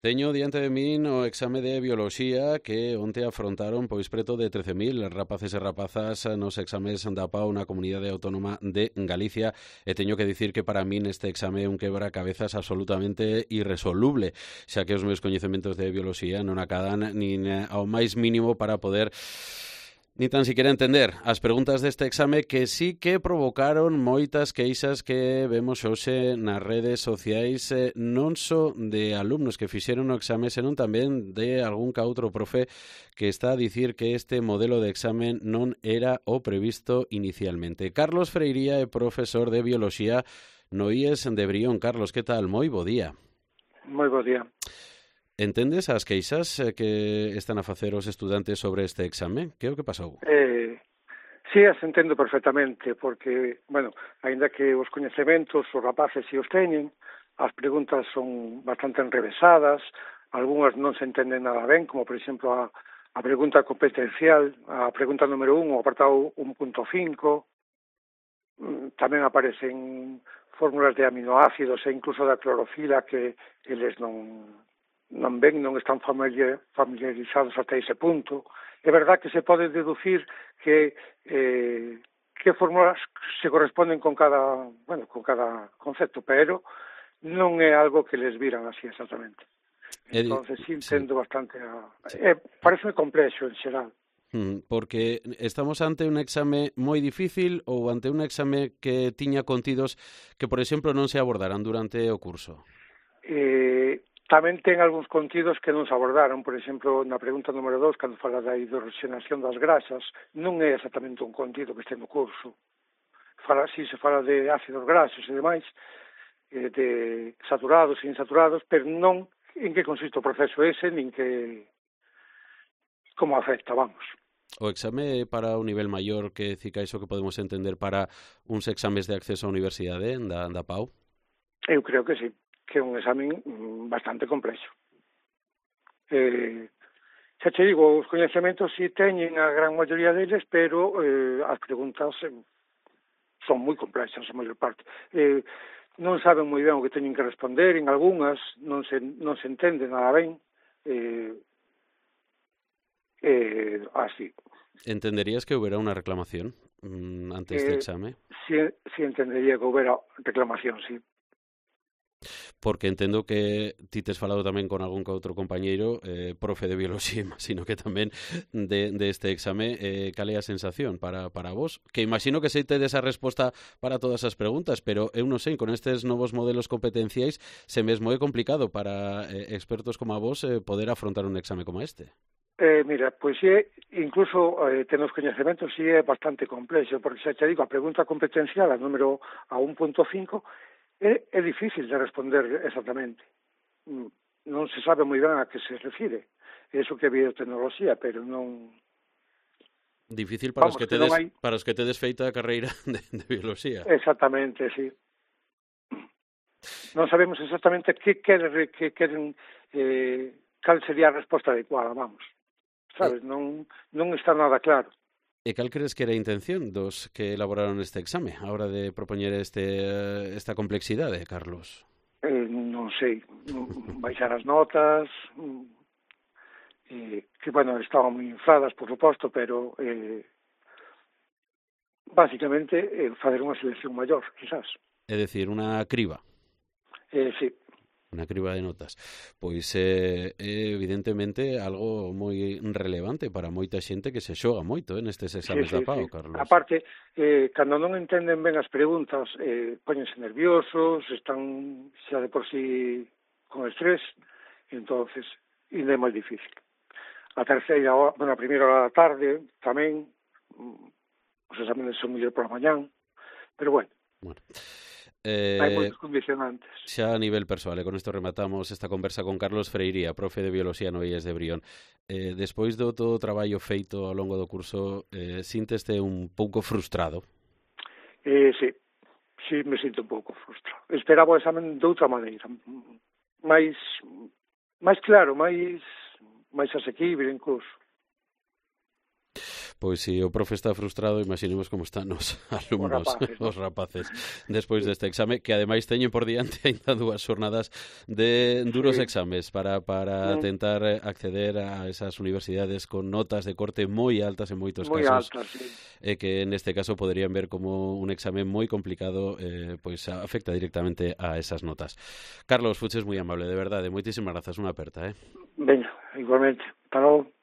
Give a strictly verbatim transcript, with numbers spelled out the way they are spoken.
Teño diante de min o exame de bioloxía que onte afrontaron pois preto de trece mil rapaces e rapazas nos exames da P A U na Comunidade Autónoma de Galicia e teño que dicir que para min este exame é un quebracabezas absolutamente irresoluble, xa que os meus coñecementos de bioloxía non acadan nin ao máis mínimo para poder ni tan siquiera entender as preguntas deste exame que sí que provocaron moitas queixas que vemos hoxe nas redes sociais, eh, non só de alumnos que fixeron o exame, senón tamén de algún ca outro profe que está a dicir que este modelo de exame non era o previsto inicialmente. Carlos Freiría é profesor de Bioloxía no I E S de Brión. Carlos, que tal? Moi bo día. Moi bo día. Entendes as queixas que están a facer os estudantes sobre este exame? Que é o que pasou? Eh, sí, as entendo perfectamente, porque, bueno, aínda que os coñecementos, os rapaces si os teñen, as preguntas son bastante enrevesadas, algunhas non se entenden nada ben, como, por exemplo, a, a pregunta competencial, a pregunta número un, o apartado un punto cinco, tamén aparecen fórmulas de aminoácidos e incluso da clorofila que eles non... non ven, non están familiarizados hasta ese punto. É verdad que se pode deducir que eh, que fórmulas se corresponden con cada, bueno, con cada concepto, pero non é algo que les viran así exactamente. Entonces, sí entendo sí. bastante a... Sí. Eh, parece complexo en xeral. Porque estamos ante un exame moi difícil ou ante un exame que tiña contidos que, por exemplo, non se abordaran durante o curso? Eh... Tamén ten algúns contidos que non se abordaron, por exemplo, na pregunta número dos, cando fala da hidroxenación das grasas, non é exactamente un contido que este no curso. Fala, si se fala de ácidos graxos e demais, eh, de saturados e insaturados, pero non en que consiste o proceso ese, nin que como afecta, vamos. O exame para o nivel maior que cica iso que podemos entender para uns exames de acceso á universidade da, da P A U? Eu creo que sí, que é un exame bastante complexo. Eh, xa te digo, os coñecementos si teñen a gran maioría deles, pero eh, as preguntas eh, son moi complexas, a maior parte. Eh, non saben moi ben o que teñen que responder, en algunhas non se, non se entende nada ben. Eh, eh, así. Entenderías que houbera unha reclamación mm, ante este eh, exame? Si, si entendería que houbera reclamación, sí. Porque entendo que ti tes falado tamén con algún que outro compañeiro, eh, profe de bioloxía, sino que tamén de, de este exame, eh, cal é a sensación para, para vos? Que imagino que sei tedes a resposta para todas as preguntas, pero eu non sei, con estes novos modelos competenciais, se mesmo é complicado para eh, expertos como a vos eh, poder afrontar un exame como este. Eh, mira, pois é, incluso eh, ten os coñecementos, sí é bastante complexo, porque xa te digo, a pregunta competencial, a número a un punto cinco, É, é difícil de responder exactamente. Non se sabe moi ben a que se refire. Eso que é biotecnoloxía, pero non... Difícil para, Vamos, os, que tedes, hai... para os que tedes feita a carreira de, de bioloxía. Exactamente, sí. Non sabemos exactamente que queren, que queren eh, cal sería a resposta adecuada, vamos. Sabes, eh... non, non está nada claro. E cal crees que era a intención dos que elaboraron este exame a hora de propoñer este, esta complexidade, Carlos? Eh, non sei, baixar as notas, eh, que, bueno, estaban moi infladas, por suposto, pero eh, básicamente eh, fazer unha selección maior, quizás. É dicir, unha criba. Eh, sí. Unha criba de notas. Pois é eh, evidentemente algo moi relevante para moita xente que se xoga moito eh, nestes exames sí, sí, da P A U, sí. Carlos. Aparte, eh, cando non entenden ben as preguntas, eh, póñense nerviosos, están xa de por sí con estrés, entonces, ainda é moi difícil. A terceira hora, bueno, a primeira hora da tarde, tamén, os exames son mellor por a mañán, pero bueno. Bueno. Eh, hai moitos condicionantes. Xa a nivel persoal, e con isto rematamos esta conversa con Carlos Freiría, profe de Bioloxía no I E S de Brión. Eh, despois do todo o traballo feito ao longo do curso, eh, sinteste un pouco frustrado? Eh, sí, sí me sinto un pouco frustrado. Esperaba o examen de outra maneira, máis, máis claro, máis, máis asequible incluso. Pois si o profe está frustrado, imaginemos como están os alumnos, Os rapaces, ¿no? os rapaces, despois sí. deste exame, que ademais teñen por diante ainda dúas xornadas de duros sí. exames para, para mm. tentar acceder a esas universidades con notas de corte moi altas en moitos moi casos, altas, sí. e que neste caso poderían ver como un exame moi complicado, eh, pois afecta directamente a esas notas. Carlos, fuches moi amable, de verdade, moitísimas grazas, unha aperta, eh? Veña, igualmente. Hasta logo.